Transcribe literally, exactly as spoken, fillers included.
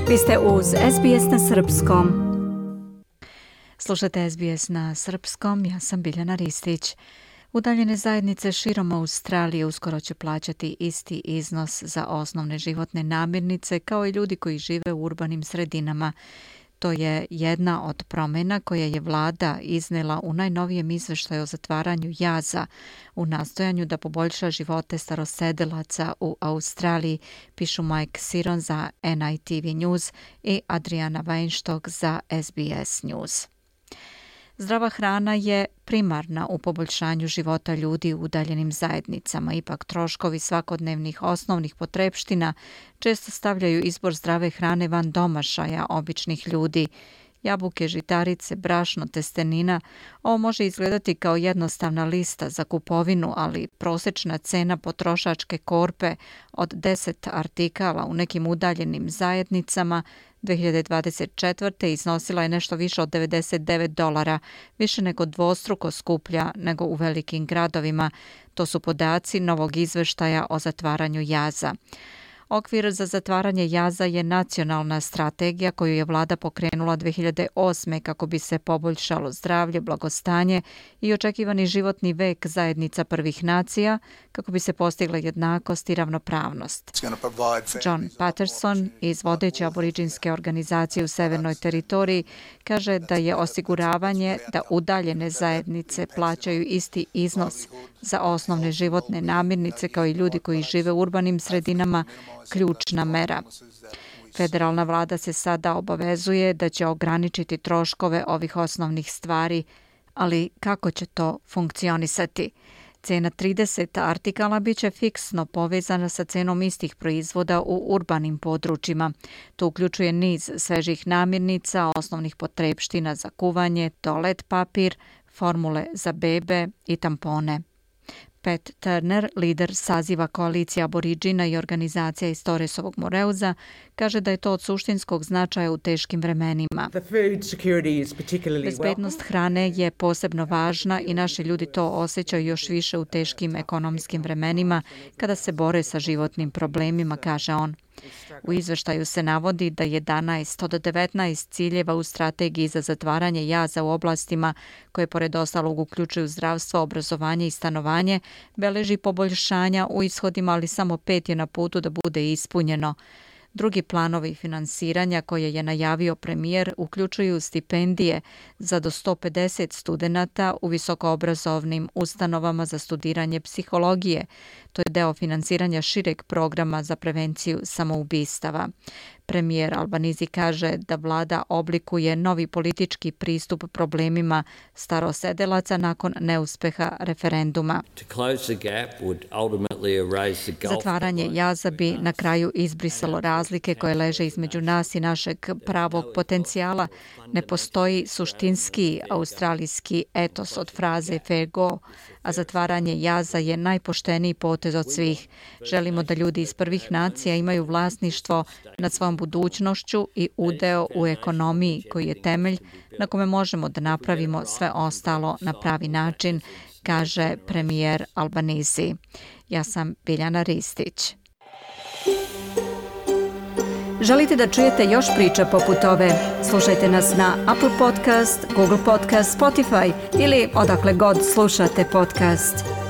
Vi ste uz S B S na srpskom. Slušate S B S na srpskom, ja sam Biljana Ristić. Udaljene zajednice širom Australije uskoro će plaćati isti iznos za osnovne životne namirnice kao i ljudi koji žive u urbanim sredinama. To je jedna od promjena koje je vlada iznela u najnovijem izveštaju o zatvaranju jaza u nastojanju da poboljša živote starosedilaca u Australiji, pišu Mike Siron za N I T V News i Adriana Weinstock za S B S News. Zdrava hrana je primarna u poboljšanju života ljudi u udaljenim zajednicama. Ipak troškovi svakodnevnih osnovnih potrepština često stavljaju izbor zdrave hrane van domašaja običnih ljudi. Jabuke, žitarice, brašno, testenina. Ovo može izgledati kao jednostavna lista za kupovinu, ali prosječna cena potrošačke korpe od deset artikala u nekim udaljenim zajednicama dvije hiljade dvadeset četvrte. iznosila je nešto više od devedeset devet dolara, više nego dvostruko skuplja nego u velikim gradovima. To su podaci novog izveštaja o zatvaranju jaza. Okvir za zatvaranje jaza je nacionalna strategija koju je vlada pokrenula dvije hiljade osme. kako bi se poboljšalo zdravlje, blagostanje i očekivani životni vek zajednica prvih nacija, kako bi se postigla jednakost i ravnopravnost. John Patterson iz vodeće aboriđinske organizacije u Severnoj teritoriji kaže da je osiguravanje da udaljene zajednice plaćaju isti iznos za osnovne životne namirnice kao i ljudi koji žive u urbanim sredinama ključna mera. Federalna vlada se sada obavezuje da će ograničiti troškove ovih osnovnih stvari, ali kako će to funkcionisati? Cena trideset artikala biće fiksno povezana sa cenom istih proizvoda u urbanim područjima. To uključuje niz svežih namirnica, osnovnih potrepština za kuvanje, toalet papir, formule za bebe i tampone. Pat Turner, lider saziva koalicije aboriđina i organizacija iz Torresovog Moreuza, kaže da je to od suštinskog značaja u teškim vremenima. Bezbednost hrane je posebno važna i naši ljudi to osjećaju još više u teškim ekonomskim vremenima kada se bore sa životnim problemima, kaže on. U izveštaju se navodi da jedanaest od devetnaest ciljeva u strategiji za zatvaranje jaza u oblastima koje pored ostalog uključuju zdravstvo, obrazovanje i stanovanje beleži poboljšanja u ishodima, ali samo pet je na putu da bude ispunjeno. Drugi planovi finansiranja koje je najavio premijer uključuju stipendije za do sto pedeset studenata u visokoobrazovnim ustanovama za studiranje psihologije. To je deo finansiranja šireg programa za prevenciju samoubistava. Premijer Albanese kaže da vlada oblikuje novi politički pristup problemima starosedilaca nakon neuspeha referenduma. Zatvaranje jaza bi na kraju izbrisalo razlike koje leže između nas i našeg pravog potencijala. Ne postoji suštinski australijski etos od fraze fair go, a zatvaranje jaza je najpošteniji potez od svih. Želimo da ljudi iz prvih nacija imaju vlasništvo nad svojom budućnošću i udeo u ekonomiji koji je temelj na kome možemo da napravimo sve ostalo na pravi način, kaže premijer Albanese. Ja sam Biljana Ristić. Želite da čujete još priča poput ove? Slušajte nas na Apple Podcast, Google Podcast, Spotify ili odakle god slušate podcast.